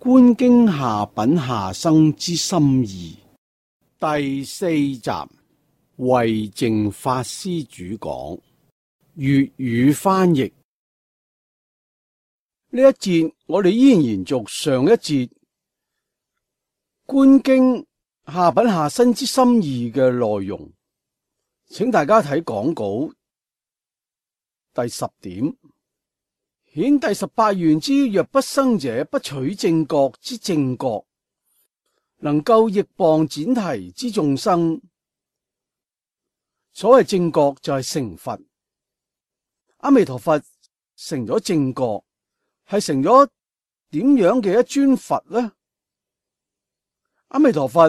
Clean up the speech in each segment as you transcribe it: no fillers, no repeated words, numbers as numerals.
觀經下品下生之心意第四集，慧淨法師主講，粵語翻譯。呢一節我哋依然延續上一節觀經下品下生之心意嘅內容，請大家睇講稿第10點。顯第18願之若不生者，不取正覺之正覺，能夠逆謗闡提之眾生。所謂正覺就係成佛。阿彌陀佛成咗正覺，係成咗點樣嘅一尊佛呢？阿彌陀佛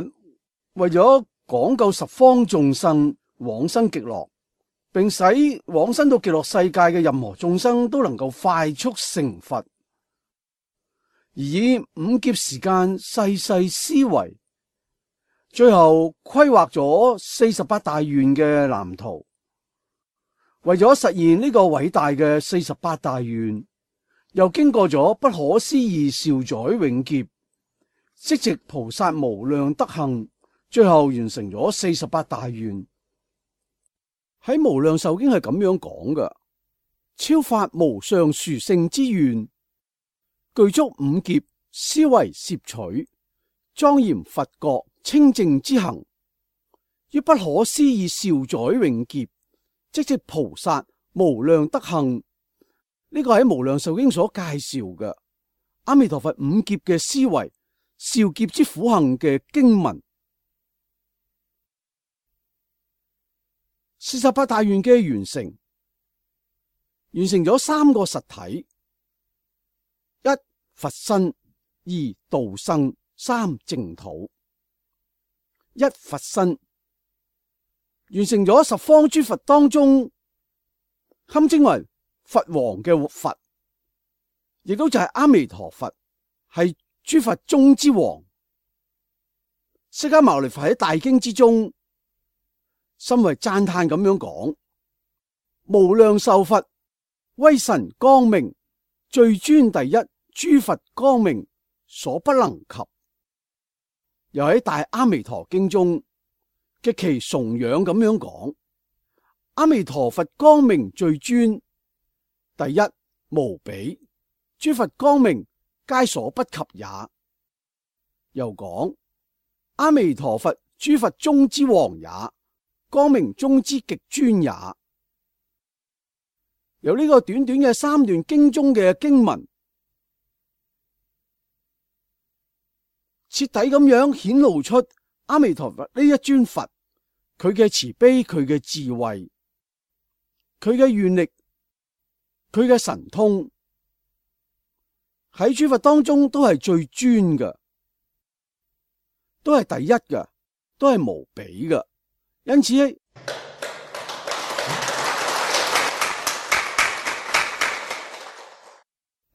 為咗講救十方眾生往生極樂，並使往生到極樂世界嘅任何眾生都能夠快速成佛，而以五劫時間細細思維，最後規劃咗48大願嘅藍圖。為咗實現呢個偉大嘅48大願，又經過咗不可思議兆載永劫，積植菩薩無量德行，最後完成咗48大願。喺無量壽經係咁樣講嘅：超發無上殊勝之願，具足五劫思惟攝取，莊嚴佛國清淨之行，於不可思議兆載永劫，積植菩薩無量德行。呢個喺無量壽經所介紹嘅阿彌陀佛五劫嘅思維兆劫之苦行嘅經文。48大願嘅完成咗3個實體：一佛身，二道生，三淨土。一佛身完成咗十方諸佛當中堪稱為佛王嘅佛，亦都就係阿彌陀佛，係諸佛中之王。釋迦牟尼佛喺大經之中深為讚嘆咁樣講：無量壽佛，威神光明，最尊第一，諸佛光明所不能及。又喺大阿彌陀經中極其崇仰咁樣講：阿彌陀佛光明最尊，第一無比，諸佛光明皆所不及也。又講阿彌陀佛諸佛中之王也，光明中之極尊也。由呢個短短嘅3段經中嘅經文，徹底咁樣顯露出阿彌陀佛呢一尊佛，佢嘅慈悲，佢嘅智慧，佢嘅願力，佢嘅神通，喺諸佛當中都係最尊嘅，都係第一嘅，都係無比嘅。因此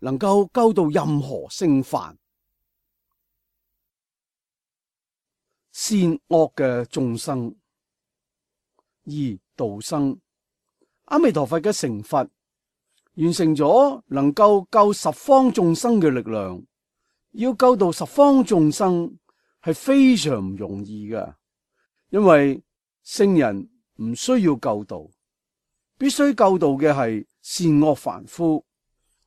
能夠救度任何聖凡善惡嘅眾生。而道生，阿彌陀佛嘅成佛完成咗能夠救十方眾生嘅力量。要救度十方眾生係非常唔容易嘅，因為聖人唔需要救度，必須救度嘅係善惡凡夫。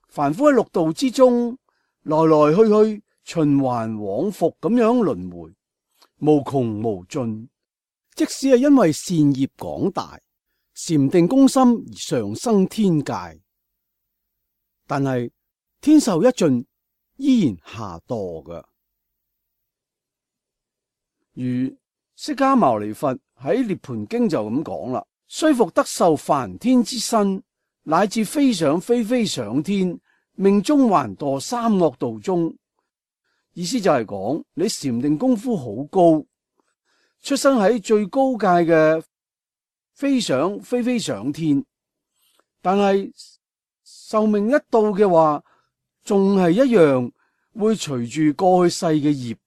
凡夫喺六道之中來來去去，循環往復咁樣輪迴，無窮無盡。即使係因為善業廣大，禪定攻心而上生天界，但係天壽一盡，依然下墮嘅。如釋迦牟尼佛喺涅槃經就咁講啦：雖復得受梵天之身，乃至非想非非想天，命終還墮三惡道中。意思就係講你禪定功夫好高，出生喺最高界嘅非想非非想天，但係壽命一到嘅話，仲係一樣會隨住過去世嘅業，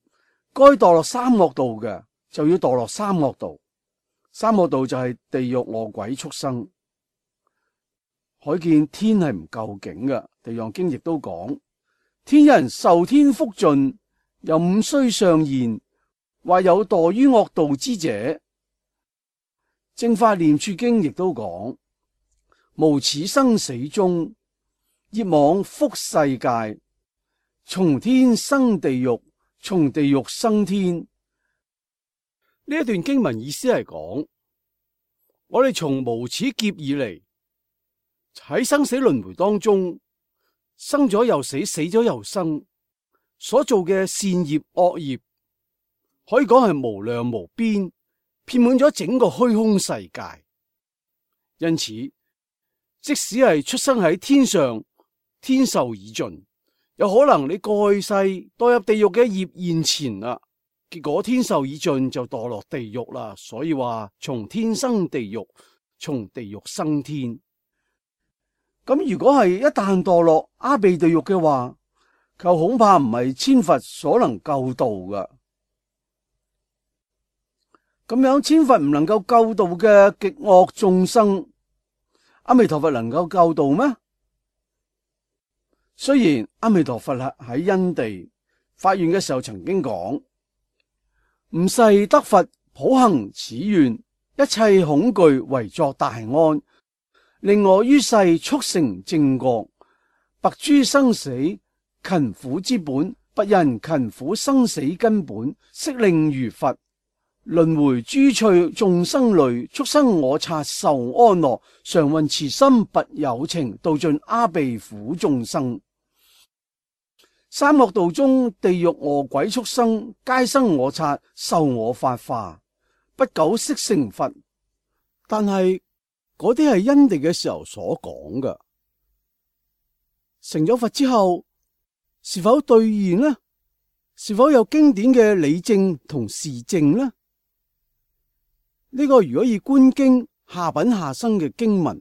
該墮落三惡道嘅就要墮落三惡道。三惡道就係地獄、餓鬼、畜生。可見天係唔夠境嘅。地藏經亦都講，天人受天福盡，又五須尚賢，或有墮於惡道之者。正法念處經亦都講，無始生死終，業往復世界，從天生地獄，從地獄生天。呢一段經文意思係講，我哋從無始劫以嚟，喺生死輪迴當中，生咗又死，死咗又生，所做嘅善業惡業，可以講係無量無邊，遍滿咗整個虛空世界。因此，即使係出生喺天上，天壽已盡，有可能你過去世墮入地獄嘅業現前啦，結果天壽已盡就墮落地獄啦。所以話從天生地獄，從地獄生天。咁如果係一旦墮落阿鼻地獄嘅話，就恐怕唔係千佛所能救度噶。咁樣千佛唔能夠救度嘅極惡眾生，阿彌陀佛能夠救度咩？雖然阿彌陀佛喺因地發願嘅時候曾經講，吾誓得佛普行此願，一切恐懼為作大安，令我於世速成正覺，拔諸生死勤苦之本，拔人勤苦生死根本，悉令如佛輪迴諸趣眾生類，速生我剎受安樂，常運慈心拔有情，度盡阿鼻苦眾生。三惡道中，地獄餓鬼畜生，皆生我剎受我法化，不久悉成佛。但係嗰啲係因地嘅時候所講嘅，成咗佛之後是否兌現呢？是否有經典嘅理證同事證呢？呢個如果以觀經下品下生嘅經文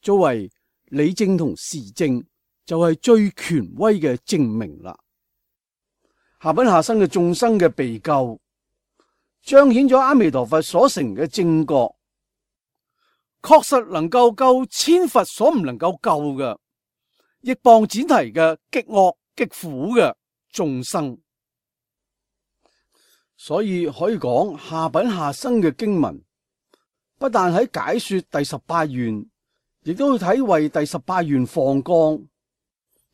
作為理證同事證，就係最權威嘅證明啦。下品下生嘅眾生嘅被救，彰顯咗阿彌陀佛所成嘅正覺，確實能夠救千佛所唔能夠救嘅，亦謗展提嘅極惡極苦嘅眾生。所以可以講，下品下生嘅經文，不但喺解說第18願，亦都去體為第18願放光，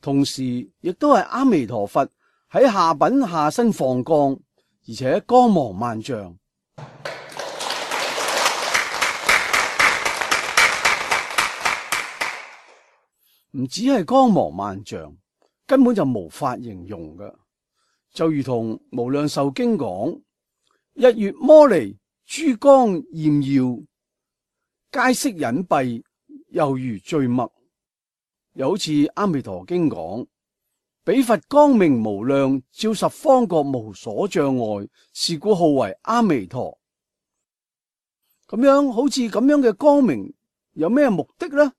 同時亦都係阿彌陀佛喺下品下身放光，而且光芒萬丈。唔止係光芒萬丈，根本就無法形容嘅。就如同無量壽經講，日月摩尼珠光艷耀，皆悉隱蔽，猶如墜墨。又好似阿彌陀經講，彼佛光明無量，照十方國無所障礙，是故號為阿彌陀。咁樣好似咁樣嘅光明有咩目的呢？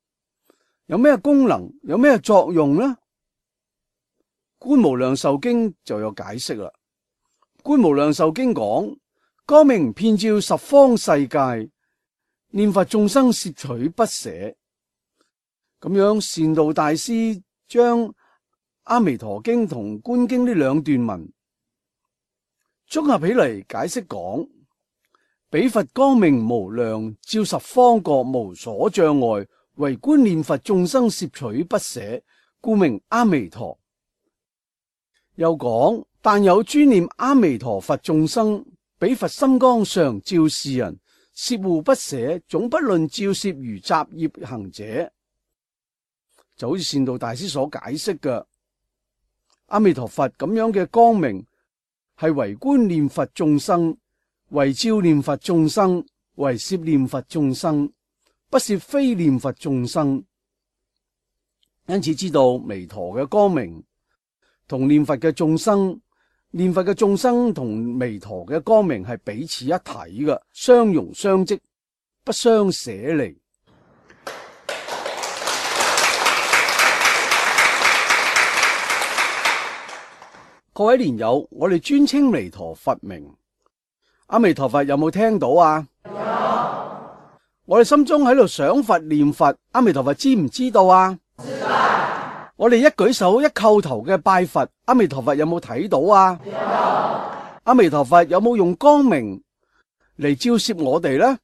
有咩功能？有咩作用呢？觀無量壽經就有解釋啦。觀無量壽經講，光明遍照十方世界，念佛眾生攝取不捨。咁樣善導大師將阿彌陀經同觀經呢兩段文綜合起嚟解釋講，彼佛光明無量，照十方國無所障礙，唯觀念佛眾生攝取不捨，故名阿彌陀。又講，但有專念阿彌陀佛眾生，彼佛心光常照是人，攝護不捨，總不論照攝如雜業行者。就好似善導大師所解釋嘅，阿彌陀佛咁樣嘅光明係唯觀念佛眾生，唯照念佛眾生，唯攝念佛眾生，不攝非念佛眾生。因此知道彌陀嘅光明同念佛嘅眾生，念佛嘅眾生同彌陀嘅光明係彼此一體嘅，相融相即，不相捨離。各位蓮友，我哋尊稱彌陀佛名，阿彌陀佛有冇聽到啊？有。我哋心中喺度想佛念佛，阿彌陀佛知唔知道啊？知道。我哋一舉手一叩頭嘅拜佛，阿彌陀佛有冇睇到啊？有。阿彌陀佛有冇用光明嚟照攝我哋呢？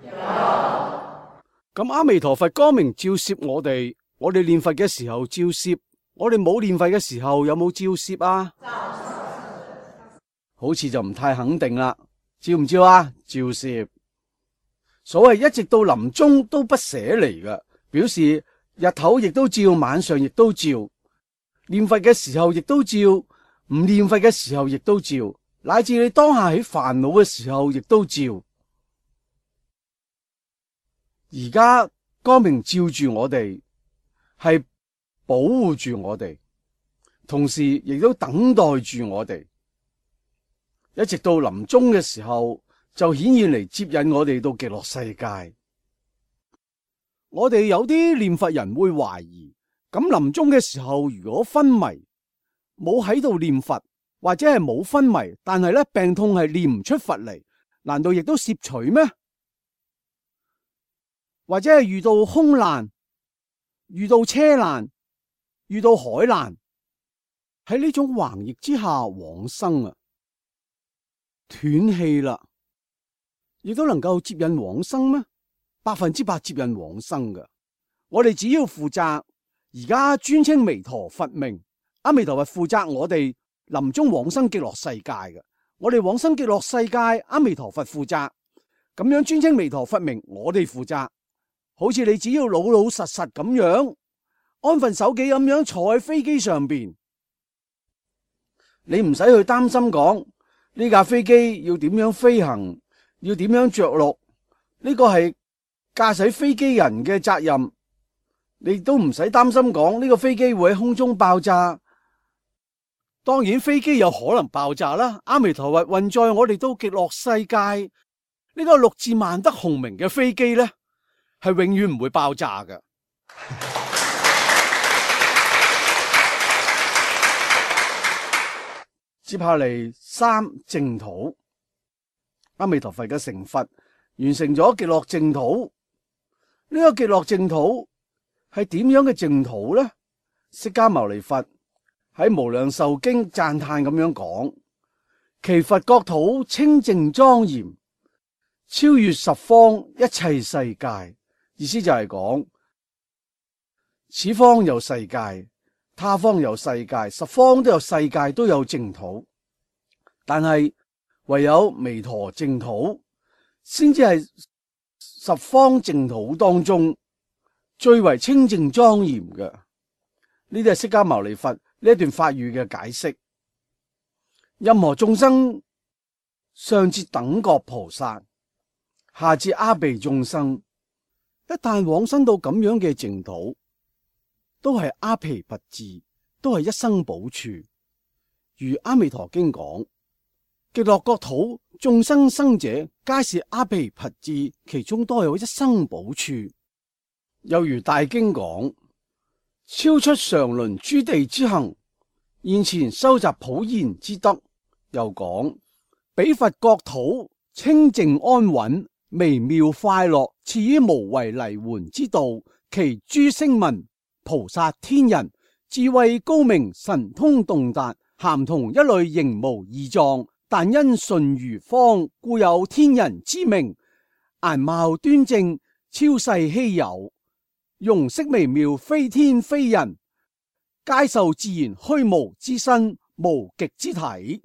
有。咁阿彌陀佛光明照攝我哋念佛嘅時候照攝，我哋冇念佛嘅時候有冇照攝啊？好似就唔太肯定啦。照唔照啊？照攝。所謂一直到臨終都不捨離嘅，表示日頭亦都照，晚上亦都照，念佛嘅時候亦都照，唔念佛嘅時候亦都照，乃至你當下喺煩惱嘅時候亦都照。而家光明照住我哋，係保護住我哋，同時亦都等待住我哋，一直到臨終嘅時候就顯現嚟接引我哋到極樂世界。我哋有啲念佛人會懷疑，咁臨終嘅時候如果昏迷，冇喺度念佛，或者係冇昏迷，但係咧病痛係念唔出佛嚟，難道亦都攝取咩？或者係遇到空難、遇到車難、遇到海難，喺呢種橫逆之下往生啊，斷氣啦，亦都能夠接引往生咩？100%接引往生嘅。我哋只要負責而家尊稱彌陀佛名，阿彌陀佛負責我哋臨終往生極樂世界嘅。我哋往生極樂世界，阿彌陀佛負責。咁樣尊稱彌陀佛名，我哋負責。好似你只要老老實實咁樣安分守己咁樣坐喺飛機上邊，你唔使去擔心講呢架飛機要點樣飛行，要點樣着陸，呢個係駕駛飛機人嘅責任。你都唔使擔心講呢個飛機會喺空中爆炸。當然飛機有可能爆炸啦，阿彌陀佛運載我哋到極樂世界，呢個六字萬德洪名嘅飛機呢，係永遠唔會爆炸嘅。接下嚟3淨土，阿彌陀佛嘅成佛完成咗極樂淨土。呢個極樂淨土係點樣嘅淨土呢？釋迦牟尼佛喺無量壽經讚嘆咁樣講：其佛國土清淨莊嚴，超越十方一切世界。意思就係講，此方有世界，他方有世界，十方都有世界，都有淨土，但係唯有彌陀淨土先至係十方淨土當中最為清淨莊嚴嘅。呢啲係釋迦牟尼佛呢一段法語嘅解釋。任何眾生，上至等覺菩薩，下至阿鼻眾生，一旦往生到咁樣嘅淨土，都係阿鞞跋致，都係一生補處。如阿彌陀經講，極樂國土眾生生者，皆是阿鞞跋致，其中都有一生補處。又如大經講，超出常倫諸地之行，現前收集普賢之德。又講，彼佛國土清淨安穩，微妙快樂，賜於無為離緩之道，其諸聲聞、菩薩、天人，智慧高明，神通洞達，咸同一類，形無異狀，但因順如方，故有天人之名。顏貌端正，超世稀有，容色微妙，非天非人，皆受自然虛無之身，無極之體。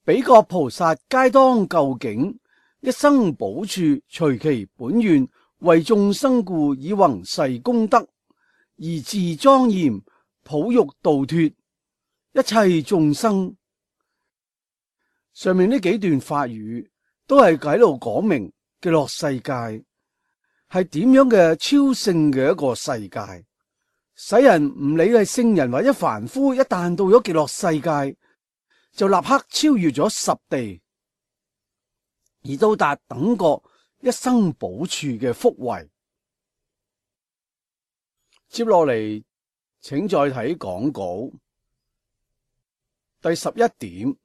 彼國菩薩皆當究竟，一生補處，隨其本願，為眾生故，以弘誓功德，而自莊嚴，普欲度脫一切眾生。上面呢幾段法語都係喺度講明極樂世界係點樣嘅超勝嘅一個世界，使人唔理係聖人或者凡夫，一旦到咗極樂世界，就立刻超越咗十地，而到達等覺一生補處嘅福慧。接落嚟，請再睇講稿第11點，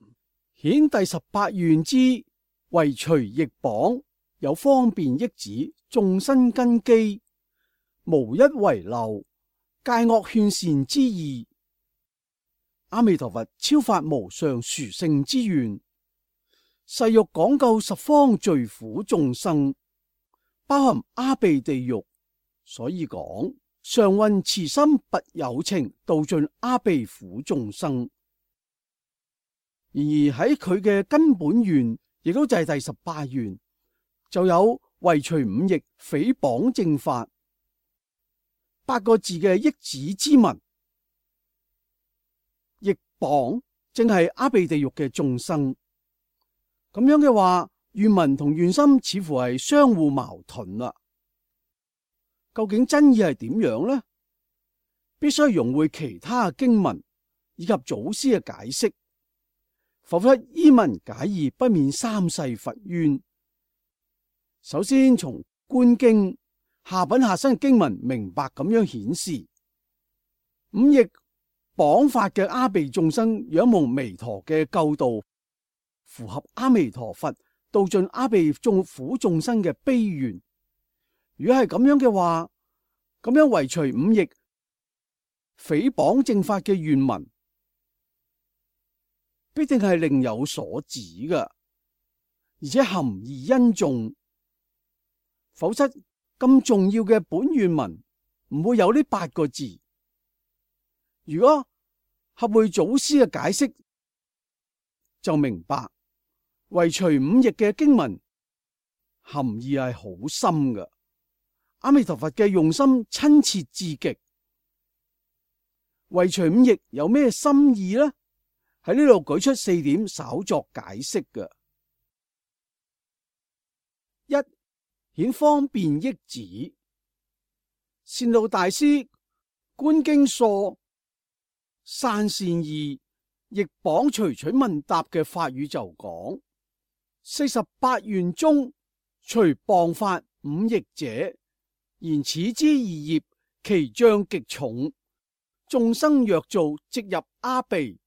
顯第18願之為隨逆榜，有方便益子，眾生根基無一遺漏，戒惡勸善之意。阿彌陀佛超發無上殊勝之願，誓欲廣救十方罪苦眾生，包含阿鼻地獄，所以講常運慈心拔有情，度盡阿鼻苦眾生。然而喺佢嘅根本願，亦都就係第18願，就有為除五逆誹謗正法8個字嘅益子之文。逆謗正係阿鼻地獄嘅眾生，咁樣嘅話，願文同願心似乎係相互矛盾啦。究竟真意係點樣呢？必須融會其他經文以及祖師嘅解釋，否則依文解義不免三世罰冤。首先從觀經下品下生經文明白咁樣顯示，五逆謗法嘅阿鼻眾生仰慕彌陀嘅救度，符合阿彌陀佛度盡阿鼻眾苦眾生嘅悲願。如果係咁樣嘅話，咁樣為除五逆誹謗正法嘅願文，必定係另有所指嘅，而且含義殷重。否則咁重要嘅本願文唔會有呢8個字。如果合會祖師嘅解釋，就明白為除五逆嘅經文含義係好深嘅。阿彌陀佛嘅用心親切至極，為除五逆有咩心意呢？喺呢度舉出4點稍作解釋嘅。一、顯方便益子。善導大師觀經疏散善意逆謗隨取問答嘅法語就講：48願中除謗法五逆者，然此之二業，其障極重。眾生若造，即入阿鼻，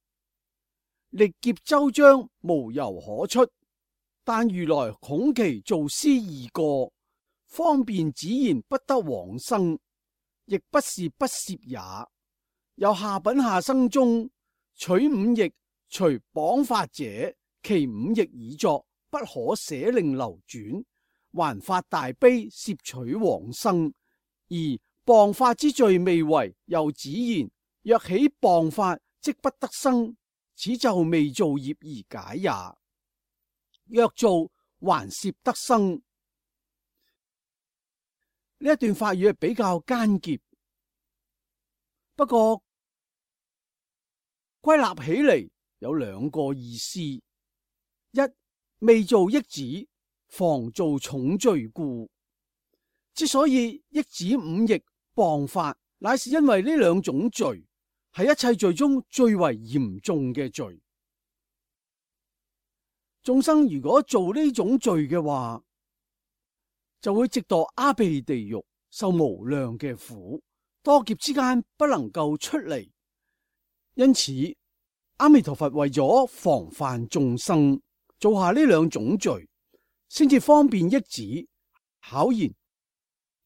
歷劫周章，無由可出。但如來恐其造施易過，方便只言不得往生，亦不是不攝也。有下品下生中取五逆除謗法者，其五逆已作，不可捨令流轉，還發大悲攝取往生。而謗法之罪未為，又只言若起謗法，即不得生，此就未造業而解也。若造，還攝得生。呢一段法語係比較艱澀，不過歸納起嚟有2個意思：一、未造益子，防造重罪故。之所以益子五逆謗法，乃是因為呢2種罪係一切罪中最為嚴重嘅罪。眾生如果做呢種罪嘅話，就會直墮阿鼻地獄，受無量嘅苦，多劫之間不能夠出嚟。因此，阿彌陀佛為咗防範眾生做下呢2種罪，先至方便益子考言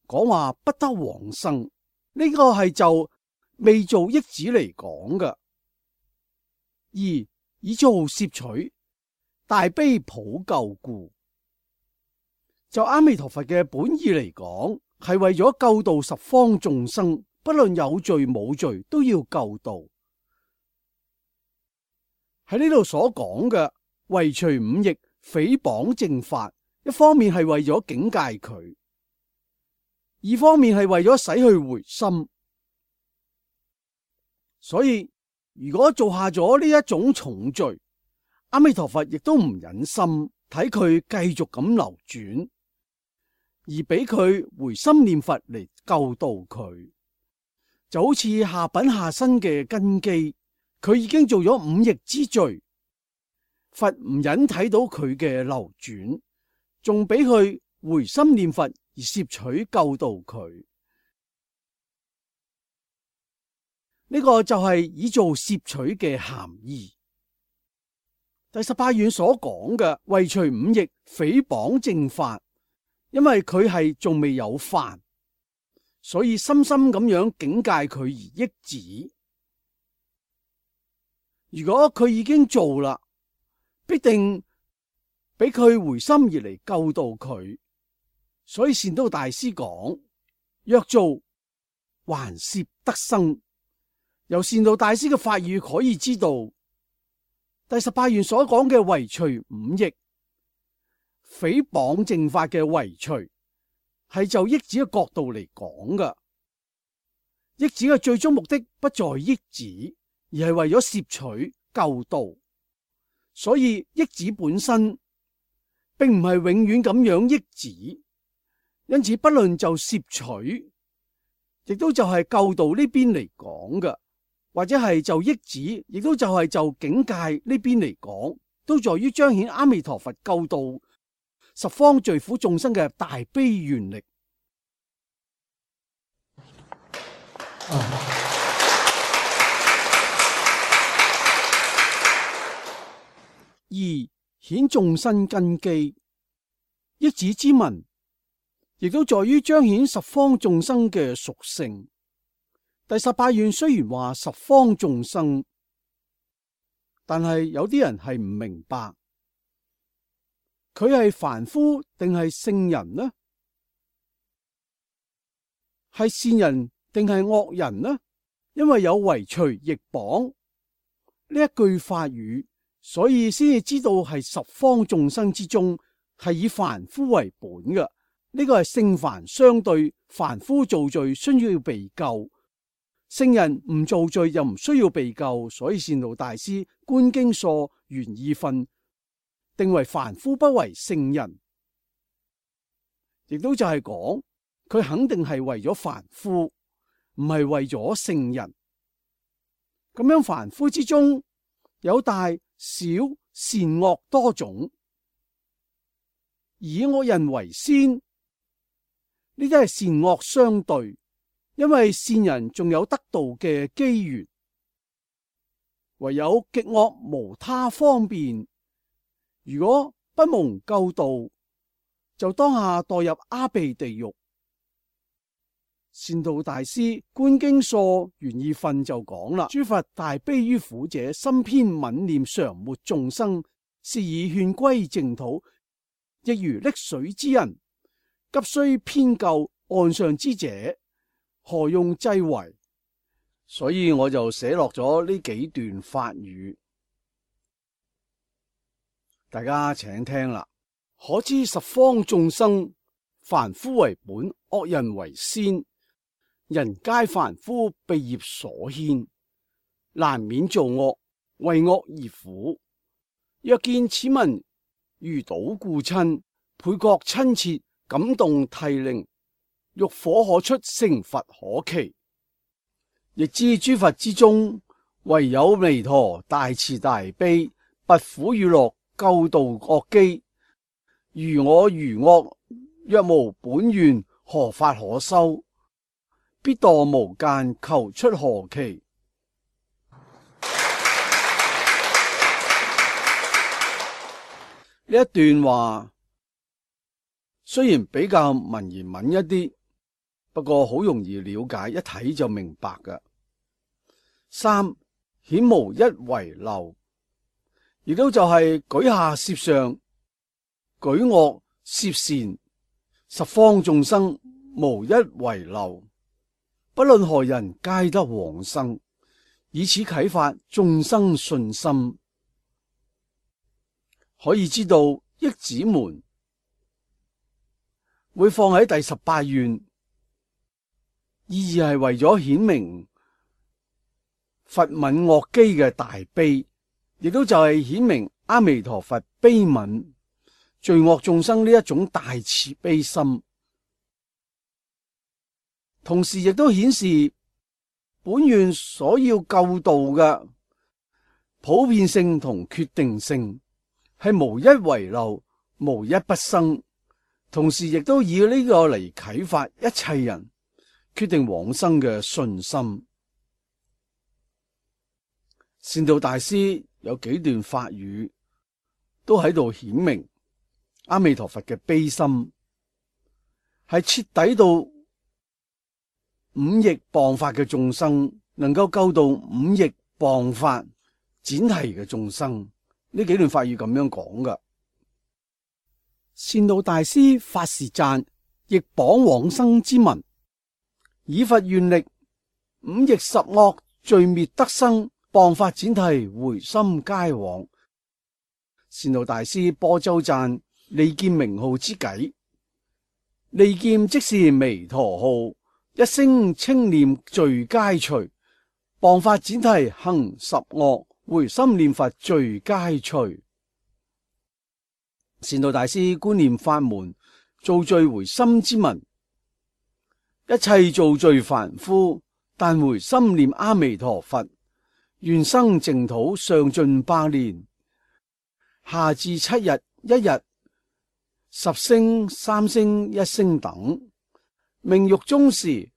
講話不得往生。呢個係就未造益子嚟講嘅。2、以造攝取大悲普救故。就阿彌陀佛嘅本意嚟講，係為咗救度十方眾生，不論有罪冇罪都要救度。喺呢度所講嘅為除五逆誹謗正法，一方面係為咗警戒佢，二方面係為咗使佢回心。所以如果做下咗呢一種重罪，阿彌陀佛亦都唔忍心睇佢繼續咁流轉，而俾佢回心念佛嚟救度佢。就好似下品下生嘅根基，佢已經做咗五逆之罪，佛唔忍睇到佢嘅流轉，仲俾佢回心念佛而攝取救度佢。呢個就係以做攝取嘅含義。第18願所講嘅為除五逆誹謗正法，因為佢係仲未有犯，所以深深咁樣警戒佢而抑止。如果佢已經做啦，必定俾佢回心而嚟救度佢。所以善導大師講：若做，還攝得生。由善導大師嘅法語可以知道，第18願所講嘅唯除五逆，誹謗正法嘅唯除，係就益子嘅角度嚟講㗎。益子嘅最終目的不在益子，而係為咗攝取救度。所以益子本身並唔係永遠咁樣益子，因此不論就攝取，亦都就係救度呢邊嚟講㗎，或者係就益子，亦都就係就境界呢邊嚟講，都在於彰顯阿彌陀佛救度十方罪苦眾生嘅大悲願力。二、顯眾生根基，益子之文亦都在於彰顯十方眾生嘅屬性。第18願雖然話十方眾生，但係有啲人係唔明白，佢係凡夫定係聖人呢？係善人定係惡人呢？因為有唯除逆綁呢一句法語，所以先至知道係十方眾生之中係以凡夫為本嘅。呢個係聖凡相對，凡夫造罪需要被救，聖人唔造罪又唔需要被救。所以善導大師觀經疏原意分定為凡夫不為聖人，亦都就係講佢肯定係為咗凡夫，唔係為咗聖人。咁樣凡夫之中有大小善惡多種，以惡人為先，呢啲係善惡相對，因為善人仲有得道嘅機緣，唯有極惡無他方便。如果不蒙救度，就當下墮入阿鼻地獄。善導大師觀經疏原意分就講啦：諸佛大悲於苦者，心偏憫念常沒眾生，是以勸歸淨土，亦如溺水之人，急需偏救岸上之者，何用濟為？所以我就寫落咗呢幾段法語，大家請聽啦。可知十方眾生，凡夫為本，惡人為先。人皆凡夫，被業所牽，難免造惡，為惡而苦。若見此文如睹故親，倍覺親切，感動涕零，欲火可出，成佛可期。亦知諸佛之中，唯有彌陀大慈大悲，拔苦與樂，救度惡機。如我如惡，若無本願，何法可修？必墮無間，求出何期？呢一段話雖然比較文言文一啲，不過好容易了解，一睇就明白㗎。三、顯無一遺漏，亦都就係舉下攝上，舉惡攝善，十方眾生無一遺漏。不論何人，皆得往生，以此啟發眾生信心。可以知道益子們會放喺第18願，意義係為咗顯明佛憫惡機嘅大悲，亦都就係顯明阿彌陀佛悲憫罪惡眾生呢一種大慈悲心。同時亦都顯示本願所要救度嘅普遍性同決定性係無一遺漏，無一不生。同時亦都以呢個嚟啟發一切人決定往生嘅信心。善導大師有幾段法語都喺度顯明阿彌陀佛嘅悲心係徹底到五逆謗法嘅眾生，能夠救到五逆謗法闡提嘅眾生。呢幾段法語咁樣講噶。善導大師發示讚逆謗往生之文：以佛願力，五逆十惡罪滅得生，謗法闡提回心皆往。善導大師播奏讚利劍名號之偈，利劍即是彌陀號，一聲稱念罪皆除，謗法闡提行十惡，回心念佛罪皆除。善導大師觀念法門造罪回心之文：一切造罪凡夫，但回心念阿彌陀佛，願生淨土上盡百年，下至7日1日10聲3聲1聲等，命獄中時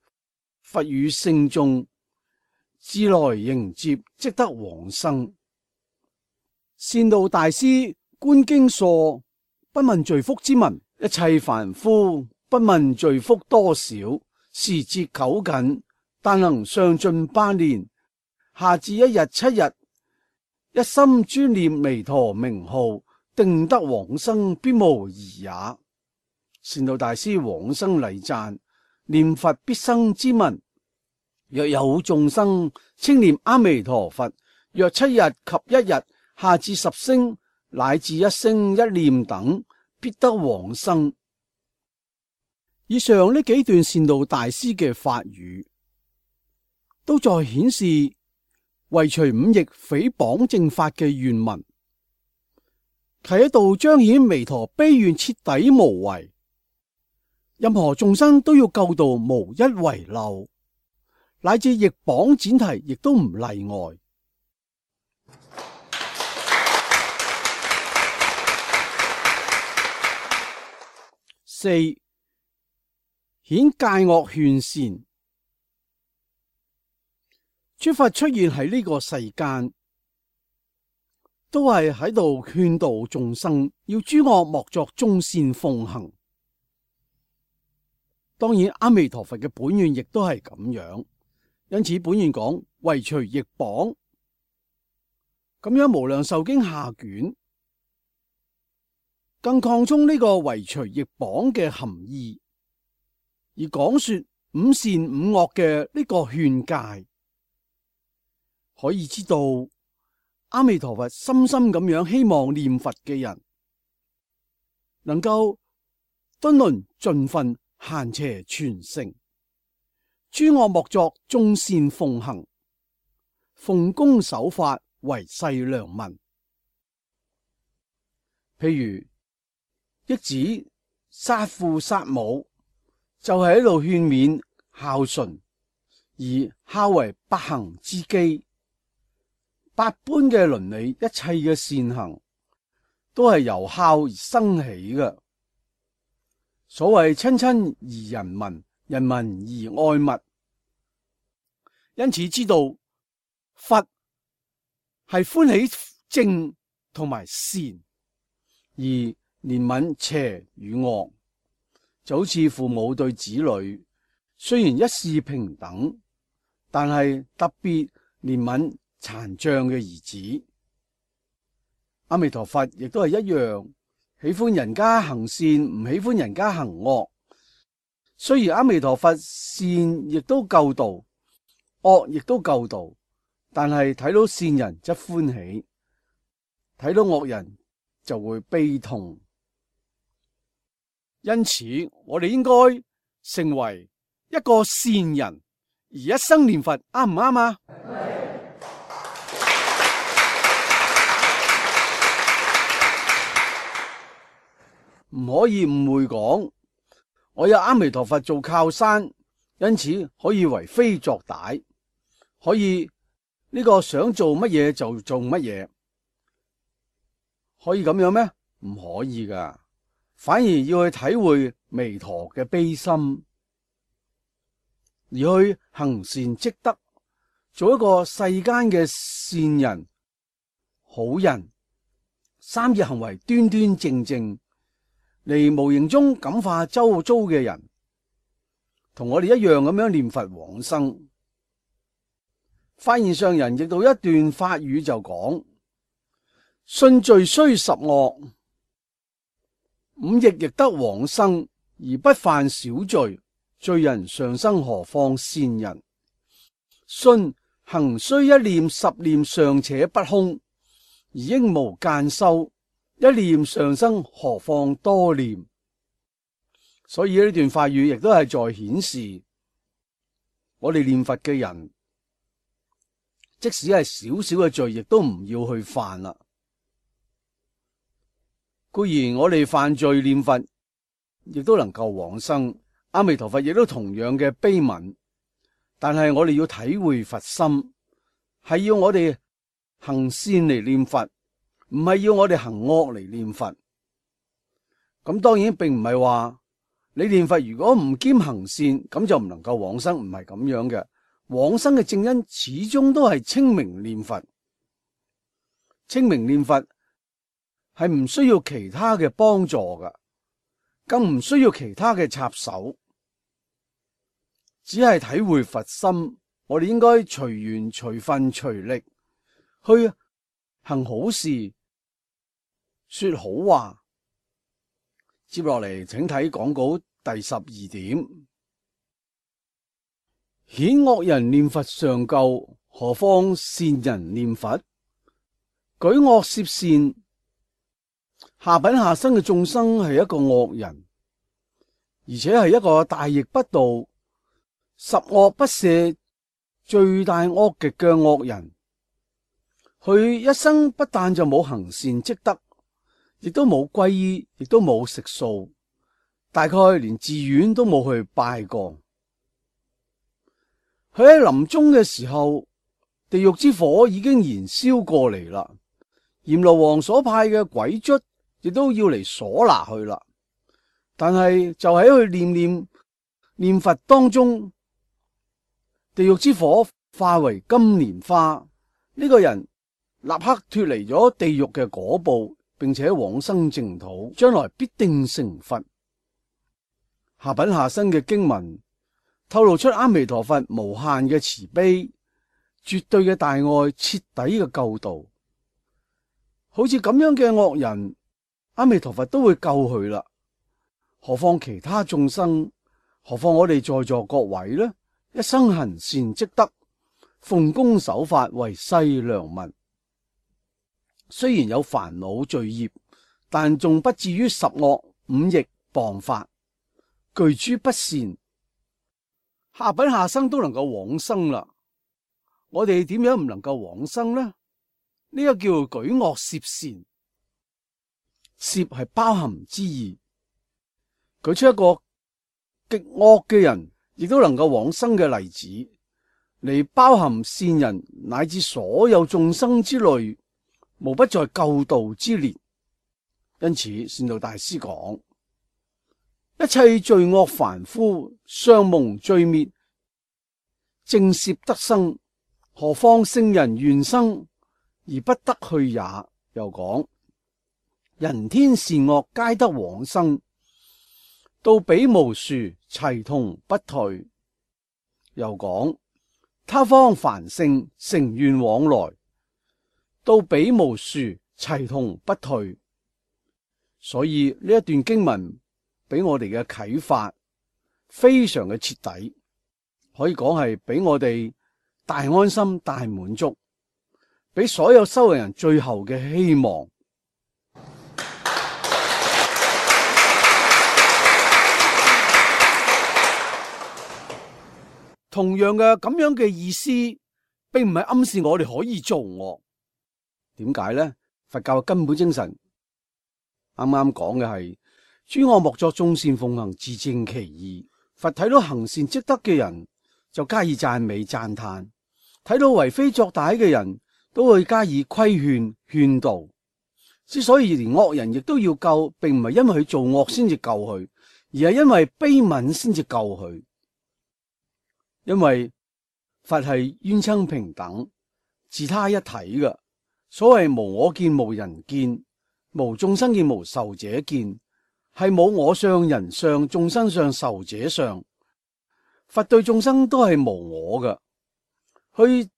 佛與聖眾自來迎接，即得往生。善導大師觀經疏不問罪福之文：一切凡夫不問罪福多少，時節久近，但能上盡百年，下至1日7日，一心專念彌陀名號，定得往生，必無疑也。善導大師往生禮讚念佛必生之文：若有眾生稱念阿彌陀佛，若7日及1日，下至10聲乃至1聲1念等，必得往生。以上呢幾段善導大師嘅法語，都在顯示為除五逆誹謗正法嘅願文，係喺度彰顯彌陀悲願徹底無違，任何眾生都要救度無一遺漏，乃至逆謗闡提亦都唔例外。四、顯戒惡勸善。諸佛出現喺呢個世間，都係喺度勸導眾生，要諸惡莫作，眾善奉行。當然，阿彌陀佛嘅本願亦都係咁樣，因此本願講為除逆謗，咁樣無量壽經下卷更擴充呢個為除逆謗嘅含義，而講說五善五惡嘅呢個勸戒。可以知道阿彌陀佛深深咁樣希望念佛嘅人能夠敦倫盡分，閒邪全成，諸惡莫作，眾善奉行，奉公守法，為世良民。譬如益子殺父殺母，就係喺度勸勉孝順，而孝為百行之基。百般嘅倫理，一切嘅善行，都係由孝而生起嘅。所謂親親而人民，人民而愛物。因此知道佛係歡喜正同埋善，而憐憫邪與惡，就好似父母對子女，雖然一視平等，但係特別憐憫殘障嘅兒子。阿彌陀佛亦都係一樣，喜歡人家行善，唔喜歡人家行惡。雖然阿彌陀佛善亦都救度，惡亦都救度，但係睇到善人則歡喜，睇到惡人就會悲痛。因此我哋應該成為一個善人，而一生念佛，啱唔啱啊？唔可以誤會講，我有阿彌陀佛做靠山，因此可以為非作歹，可以呢個想做乜嘢就做乜嘢，可以咁樣咩？唔可以噶，反而要去體會彌陀嘅悲心，而去行善積德，做一個世間嘅善人、好人，三業行為端端正正，嚟無形中感化周遭嘅人，同我哋一樣咁樣念佛往生。發現上人譯到一段法語就講：信罪雖十惡，五逆亦得往生，而不犯小罪。罪人上生何況善人？信行須一念十念尚且不空，而應無間修，一念上生何況多念？所以呢段法語亦都係在顯示，我哋念佛嘅人，即使係少少嘅罪，亦都唔要去犯啦。固然我哋犯罪念佛，亦都能夠往生。阿彌陀佛亦都同樣嘅悲憫，但係我哋要體會佛心，係要我哋行善嚟念佛，唔係要我哋行惡嚟念佛。咁當然並唔係話你念佛如果唔兼行善，咁就唔能夠往生，唔係咁樣嘅。往生嘅正因始終都係清明念佛。清明念佛係唔需要其他嘅幫助㗎，更唔需要其他嘅插手，只係體會佛心。我哋應該隨緣隨分隨力去行好事，說好話。接落嚟請睇講稿第12點。顯惡人念佛尚救，何況善人念佛？舉惡攝善，下品下生嘅眾生係一個惡人，而且係一個大逆不道、十惡不赦、罪大惡極嘅惡人。佢一生不但就冇行善積德，亦都冇皈依，亦都冇食素，大概連寺院都冇去拜過。佢喺臨終嘅時候，地獄之火已經燃燒過嚟啦，閻羅王所派嘅鬼卒亦都要嚟鎖拿佢啦。但係就喺佢念佛當中，地獄之火化為金蓮花，呢個人立刻脫離咗地獄嘅果報，並且往生淨土，將來必定成佛。下品下生嘅經文透露出阿彌陀佛無限嘅慈悲、絕對嘅大愛、徹底嘅救度。好似咁樣嘅惡人，阿彌陀佛都會救佢啦，何況其他眾生？何況我哋在座各位呢？一生行善積德，奉公守法，為世良民。雖然有煩惱罪業，但仲不至於十惡五逆謗法，具諸不善。下品下生都能夠往生啦，我哋點樣唔能夠往生呢？呢個叫舉惡攝善，攝係包含之意，舉出一個極惡嘅人亦都能夠往生嘅例子，嚟包含善人乃至所有眾生之類，無不在救度之列。因此善導大師講：一切罪惡凡夫，尚蒙罪滅，正攝得生，何況聖人願生而不得去也。又講：人天善惡皆得往生，到彼無殊，齊同不退。又講：他方凡聖，成願往來，到彼無殊，齊同不退。所以呢一段經文俾我哋嘅啟發非常嘅徹底，可以講係俾我哋大安心、大滿足，俾所有修行人最後嘅希望。同樣嘅咁樣嘅意思，並唔係暗示我哋可以做惡。點解呢？佛教嘅根本精神啱啱講嘅係諸惡莫作，眾善奉行，自正其意。佛睇到行善積德嘅人就加以讚美讚嘆，睇到為非作歹嘅人都會加以規勸勸導。之所以連惡人亦都要救，並唔係因為佢做惡先至救佢，而係因為悲憫先至救佢。因為佛係冤親平等、自他一體嘅。所謂無我見、無人見、無眾生見、無壽者見，係冇我相、人相、眾生相、壽者相。佛對眾生都係無我嘅，佢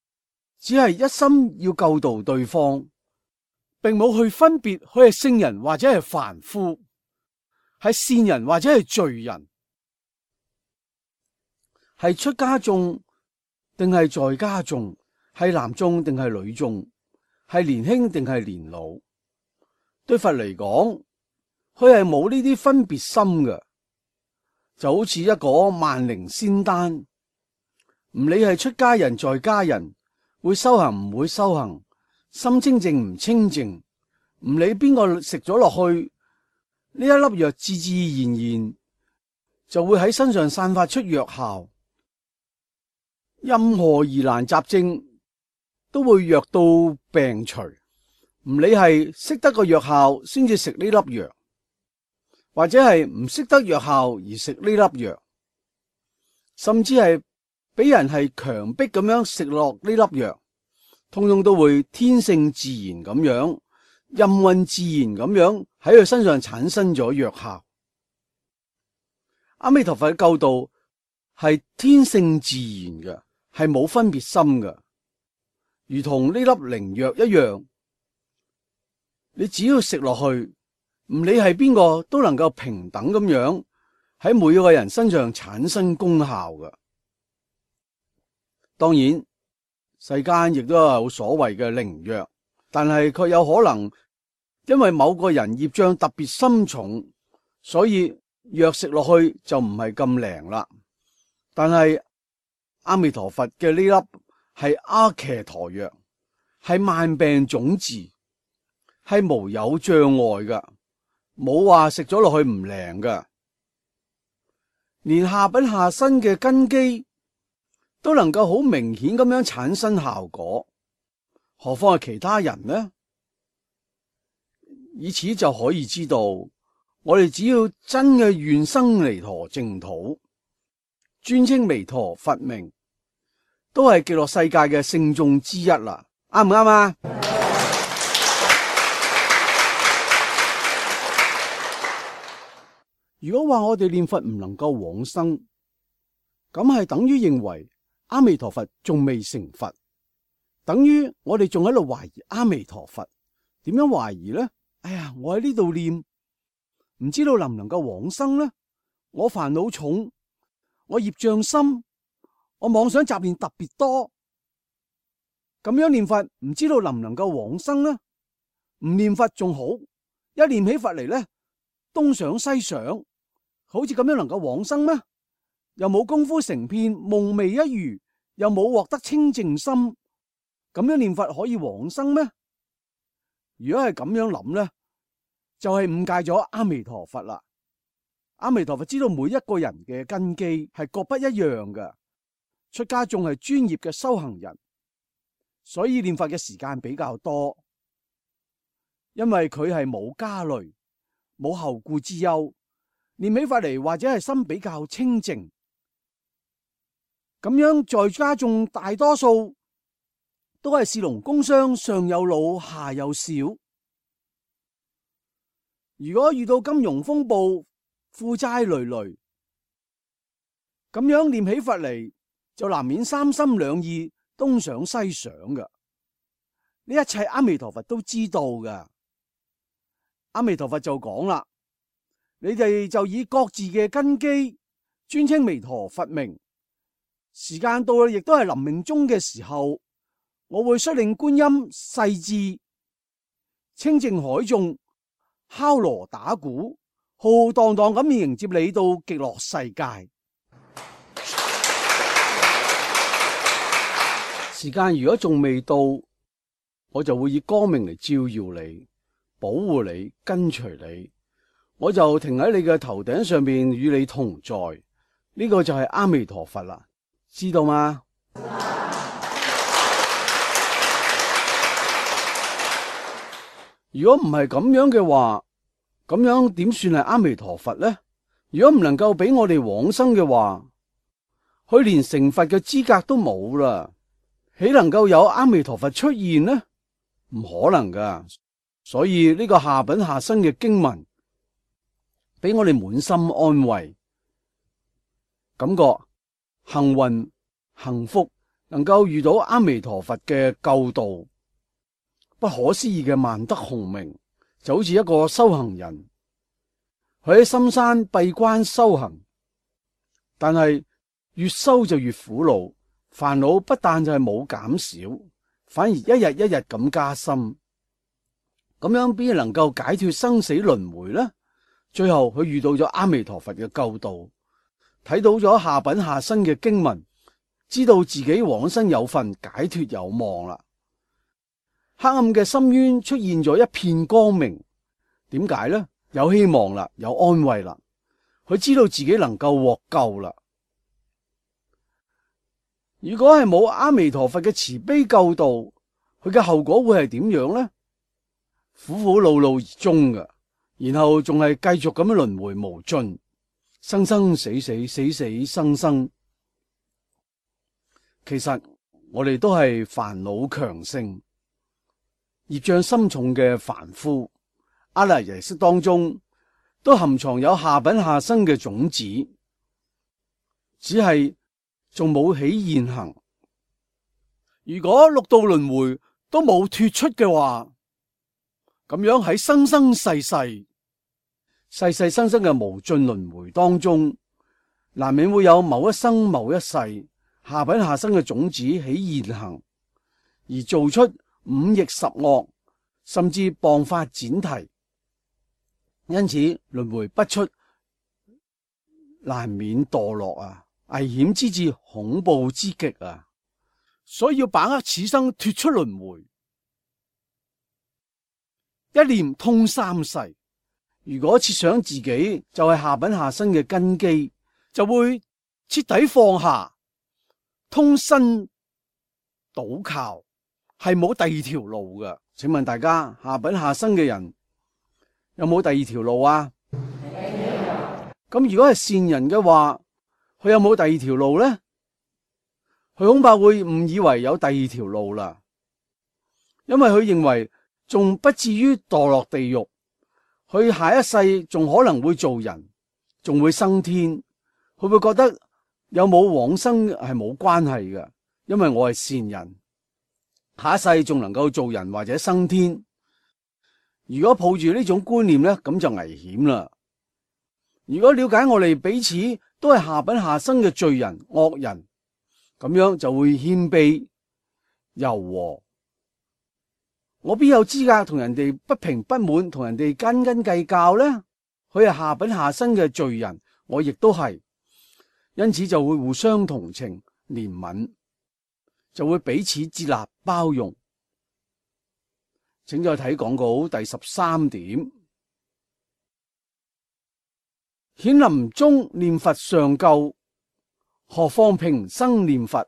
只係一心要救度對方，並冇去分別佢係聖人或者係凡夫，係善人或者係罪人，係出家眾定係在家眾，係男眾定係女眾，係年輕定係年老。對佛嚟講，佢係冇呢啲分別心嘅，就好似一個萬靈仙丹，唔理係出家人在家人，會修行唔會修行，心清淨唔清淨，唔理邊個食咗落去，呢一粒藥自自然然就會喺身上散發出藥效，任何疑難雜症都會藥到病除，唔理係識得個藥效先至食呢粒藥，或者係唔識得藥效而食呢粒藥，甚至係俾人係強迫咁樣食落呢粒藥，通通都會天性自然咁樣，任運自然咁樣喺佢身上產生咗藥效。阿彌陀佛嘅救度係天性自然嘅，係冇分別心嘅，如同呢粒靈藥一樣，你只要食落去，唔理係邊個都能夠平等咁樣喺每個人身上產生功效嘅。當然世間亦都有所謂嘅靈藥，但係卻有可能因為某個人業障特別深重，所以藥食落去就唔係咁靈啦。但係阿彌陀佛嘅呢粒係阿伽陀藥，係萬病總治，係無有障礙㗎，冇話食咗落去唔靈㗎，連下品下身嘅根基都能夠好明顯咁樣產生效果，何況係其他人呢？以此就可以知道，我哋只要真嘅願生彌陀淨土，尊稱彌陀佛名，都係極樂世界嘅聖眾之一啦。啱唔啱啊？如果話我哋念佛唔能夠往生，咁係等於認為阿彌陀佛仲未成佛，等於我哋仲喺度懷疑阿彌陀佛。點樣懷疑呢？哎呀，我喺呢度念，唔知道能唔能夠往生呢？我煩惱重，我業障深，我妄想雜念特別多，咁樣念佛唔知道能唔能夠往生呢？唔念佛仲好，一念起佛嚟呢，東想西想，好似咁樣能夠往生咩？又冇功夫成片，夢寐一如，又冇獲得清淨心，咁樣念佛可以往生咩？如果係咁樣諗呢，就係誤解咗阿彌陀佛啦。阿彌陀佛知道每一個人嘅根基係各不一樣嘅，出家眾係專業嘅修行人，所以念佛嘅時間比較多，因為佢係冇家累，冇後顧之憂，念起法嚟或者係心比較清淨。咁樣在家眾大多數都係士農工商，上有老下有小。如果遇到金融風暴，負債累累，咁樣念起佛嚟就難免三心兩意，東想西想嘅。呢一切阿彌陀佛都知道嘅。阿彌陀佛就講啦，你哋就以各自嘅根基尊稱彌陀佛名，時間到啦，亦都係臨命終嘅時候，我會率領觀音勢至清淨海眾，敲鑼打鼓，浩浩蕩蕩咁迎接你到極樂世界。時間如果仲未到，我就會以光明嚟照耀你，保護你，跟隨你，我就停喺你嘅頭頂上邊與你同在。呢個就係阿彌陀佛啦，知道嗎？如果唔係咁樣嘅話，咁樣點算係阿彌陀佛呢？如果唔能夠俾我哋往生嘅話，佢連成佛嘅資格都冇啦，豈能夠有阿彌陀佛出現呢？唔可能噶。所以呢個下品下生嘅經文，俾我哋滿心安慰，感覺幸運、幸福，能夠遇到阿彌陀佛嘅救度。不可思議嘅萬德洪名，就好似一個修行人，佢喺深山閉關修行，但係越修就越苦惱，煩惱不但就係冇減少，反而一日一日咁加深。咁樣邊能夠解脫生死輪迴呢？最後佢遇到咗阿彌陀佛嘅救度，睇到咗下品下生嘅經文，知道自己往生有份，解脫有望啦。黑暗嘅深淵出現咗一片光明，點解呢？有希望啦，有安慰啦，佢知道自己能夠獲救啦。如果係冇阿彌陀佛嘅慈悲救度，佢嘅後果會係點樣呢？苦苦惱惱而終嘅，然後仲係繼續咁樣輪迴無盡，生生死死，死死生生。其實我哋都係煩惱強盛、業障深重嘅凡夫，阿賴耶識當中都含藏有下品下生嘅種子，只係仲冇起現行。如果六道輪迴都冇脫出嘅話，咁樣喺生生世世、世世生生嘅無盡輪迴當中，難免會有某一生某一世下品下生嘅種子起現行，而做出五逆十惡，甚至謗法闡提。因此輪迴不出，難免墮落啊！危險之至，恐怖之極啊！所以要把握此生脫出輪迴，一念通三世。如果設想自己就係下品下生嘅根基，就會徹底放下，通身倒靠，係冇第二條路㗎。請問大家，下品下生嘅人有冇第二條路啊？咁如果係善人嘅話，佢有冇第二條路呢？佢恐怕會誤以為有第二條路啦，因為佢認為仲不至於墮落地獄，佢下一世仲可能會做人，仲會升天。佢會覺得有冇往生係冇關係嘅，因為我係善人，下一世仲能夠做人或者升天。如果抱住呢種觀念呢，咁就危險啦。如果了解我哋彼此都係下品下生嘅罪人惡人，咁樣就會謙卑柔和。我邊有資格同人哋不平不滿，同人哋斤斤計較呢？佢係下品下生嘅罪人，我亦都係，因此就會互相同情憐憫，就會彼此接納包容。請再睇講稿第13點。顯臨終念佛尚救，何況平生念佛？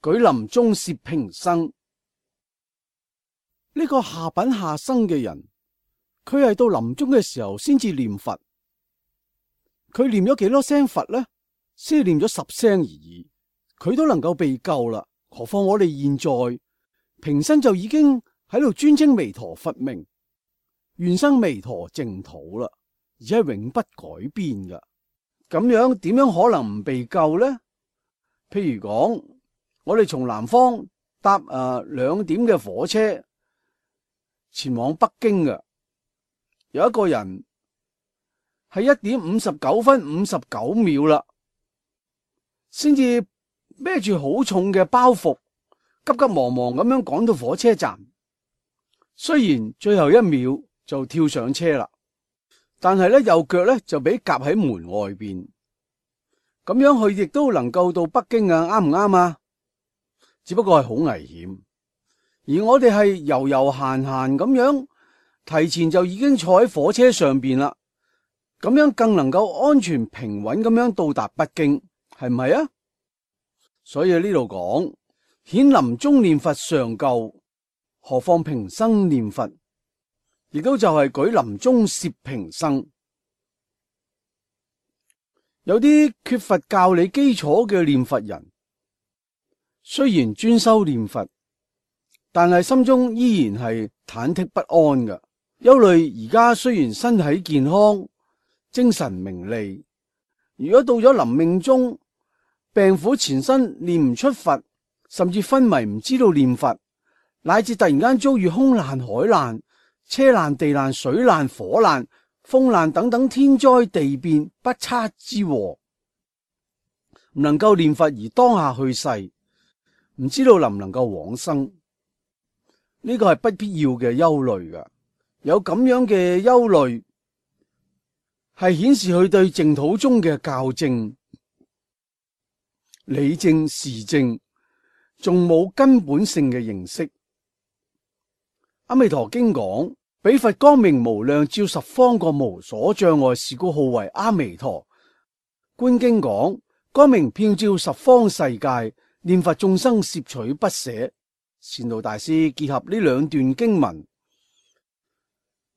舉臨終攝平生。呢個下品下生嘅人，佢係到臨終嘅時候先至念佛。佢念咗幾多聲佛呢？先念咗10聲而已，佢都能夠被救啦。何況我哋現在平生就已經喺度尊稱彌陀佛名，願生彌陀淨土啦，而且係永不改變㗎。咁樣點樣可能唔被救呢？譬如講，我哋從南方搭2點嘅火車前往北京嘅，有一個人係1點59分59秒啦，先至孭住好重嘅包袱，急急忙忙咁樣趕到火車站。雖然最後1秒就跳上車啦，但係咧右腳咧就俾夾喺門外邊，咁樣佢亦都能夠到北京啊？啱唔啱啊？只不過係好危險。而我哋係悠悠閒閒咁樣，提前就已經坐喺火車上邊啦，咁樣更能夠安全平穩咁樣到達北京，係唔係啊？所以呢度講顯臨終念佛尚救，何況平生念佛，亦都就係舉臨終攝平生。有啲缺乏教理基礎嘅念佛人，雖然專修念佛，但係心中依然係忐忑不安嘅，憂慮而家雖然身體健康、精神明利，如果到咗臨命終病苦纏身念唔出佛，甚至昏迷唔知道念佛，乃至突然間遭遇空難、海難、車難、地難、水難、火難、風難等等天災地變不測之禍，唔能夠念佛而當下去世，唔知道能唔能夠往生，呢個係不必要嘅憂慮㗎。有咁樣嘅憂慮，係顯示佢對淨土宗嘅教正、理正、事正仲冇根本性嘅認識。阿彌陀經講，彼佛光明無量，照十方國無所障礙，是故號為阿彌陀。觀經講，光明遍照十方世界，念佛眾生攝取不捨。善導大師結合呢兩段經文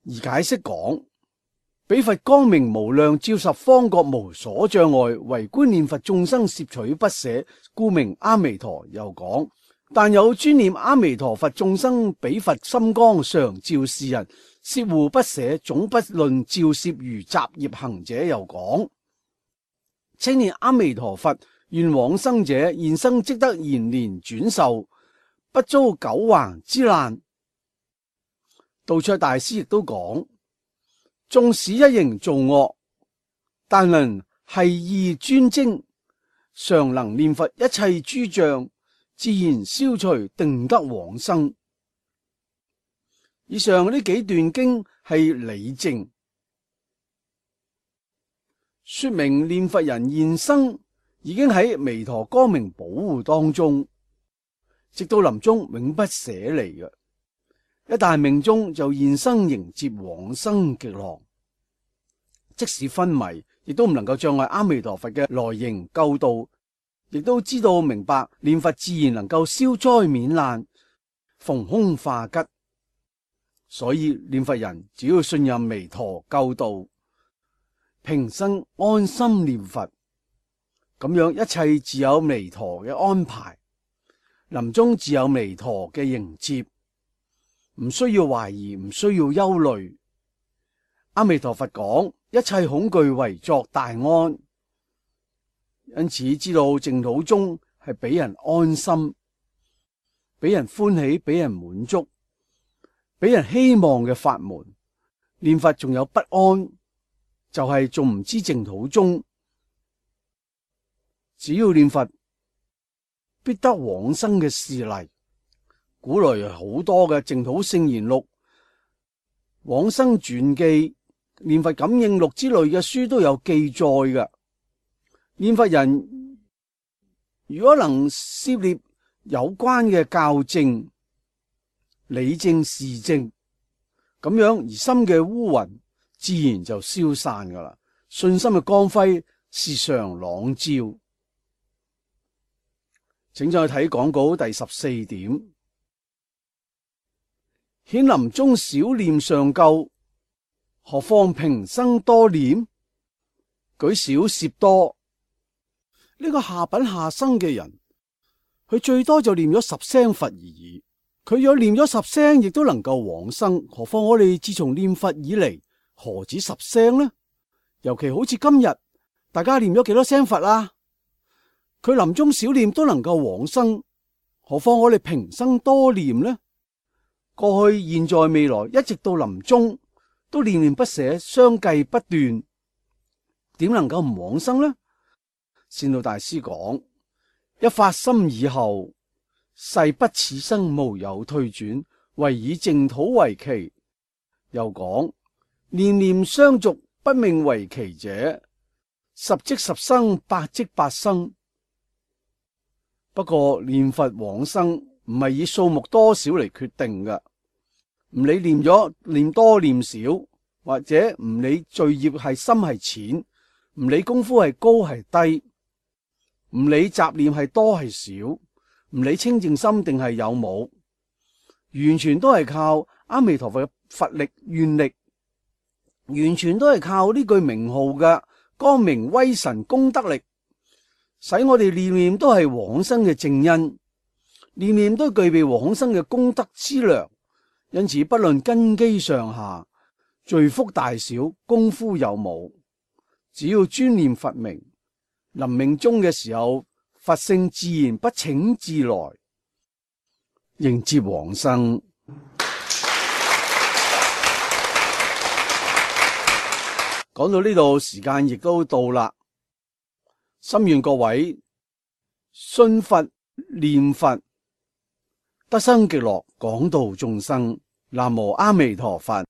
而解釋講，彼佛光明無量，照十方國無所障礙，唯觀念佛眾生攝取不捨，故名阿彌陀。又講，但有專念阿彌陀佛眾生，彼佛心光常照是人，攝護不捨，總不論照攝如雜業行者。又講，稱念阿彌陀佛願往生者，現生即得延年轉壽，不遭九橫之難。道卓大師亦都講，縱使一形造惡，但能繫意專精，常能念佛，一切諸障自然消除，定得往生。以上呢幾段經係理證，說明念佛人現生已經喺彌陀光明保護當中，直到臨終永不捨離嘅。一旦命終，就現生迎接往生極樂。即使昏迷，亦都唔能夠障礙阿彌陀佛嘅來迎救度，亦都知道明白念佛自然能夠消災免難、逢凶化吉。所以念佛人只要信任彌陀救度，平生安心念佛，咁樣一切自有彌陀嘅安排，臨終自有彌陀嘅迎接，唔需要懷疑，唔需要憂慮。阿彌陀佛講，一切恐懼為作大安，因此知道淨土宗係俾人安心、俾人歡喜、俾人滿足、俾人希望嘅法門。念佛仲有不安，就係仲唔知淨土宗。只要念佛，必得往生嘅事例。古來有好多嘅淨土聖言錄、往生傳記、念佛感應錄之類嘅書都有記載嘅。念佛人如果能涉獵有關嘅教正、理正、事正，咁樣而心嘅烏雲自然就消散噶啦，信心嘅光輝時常朗照。請再睇講稿第14點。顯臨終少念尚夠，何況平生多念？舉少攝多。呢個下品下生嘅人，佢最多就念咗10聲佛而已。佢若念咗10聲，亦都能夠往生。何況我哋自從念佛以嚟，何止10聲呢？尤其好似今日，大家念咗幾多聲佛啊？佢臨終少念都能夠往生，何況我哋平生多念呢？過去、現在、未來，一直到臨終，都念念不捨，相繼不斷，點能夠唔往生呢？善導大師講，一發心以後，誓不此生無有退轉，唯以淨土為期。又講，念念相續，不命為期者，10即10生，8即8生。不過念佛往生唔係以數目多少嚟決定嘅。唔理念咗念多念少，或者唔理罪業係深係淺，唔理功夫係高係低，唔理雜念係多係少，唔理清淨心定係有冇，完全都係靠阿彌陀佛嘅佛力願力，完全都係靠呢句名號嘅光明威神功德力，使我哋念念都係往生嘅正因，念念都具備往生嘅功德之糧。因此，不論根基上下、罪福大小、功夫有冇，只要專念佛名，臨命終嘅時候，佛性自然不請自來，迎接往生。講到呢度，時間亦都到啦。心願各位信佛念佛，得生極樂，廣度眾生。南無阿彌陀佛。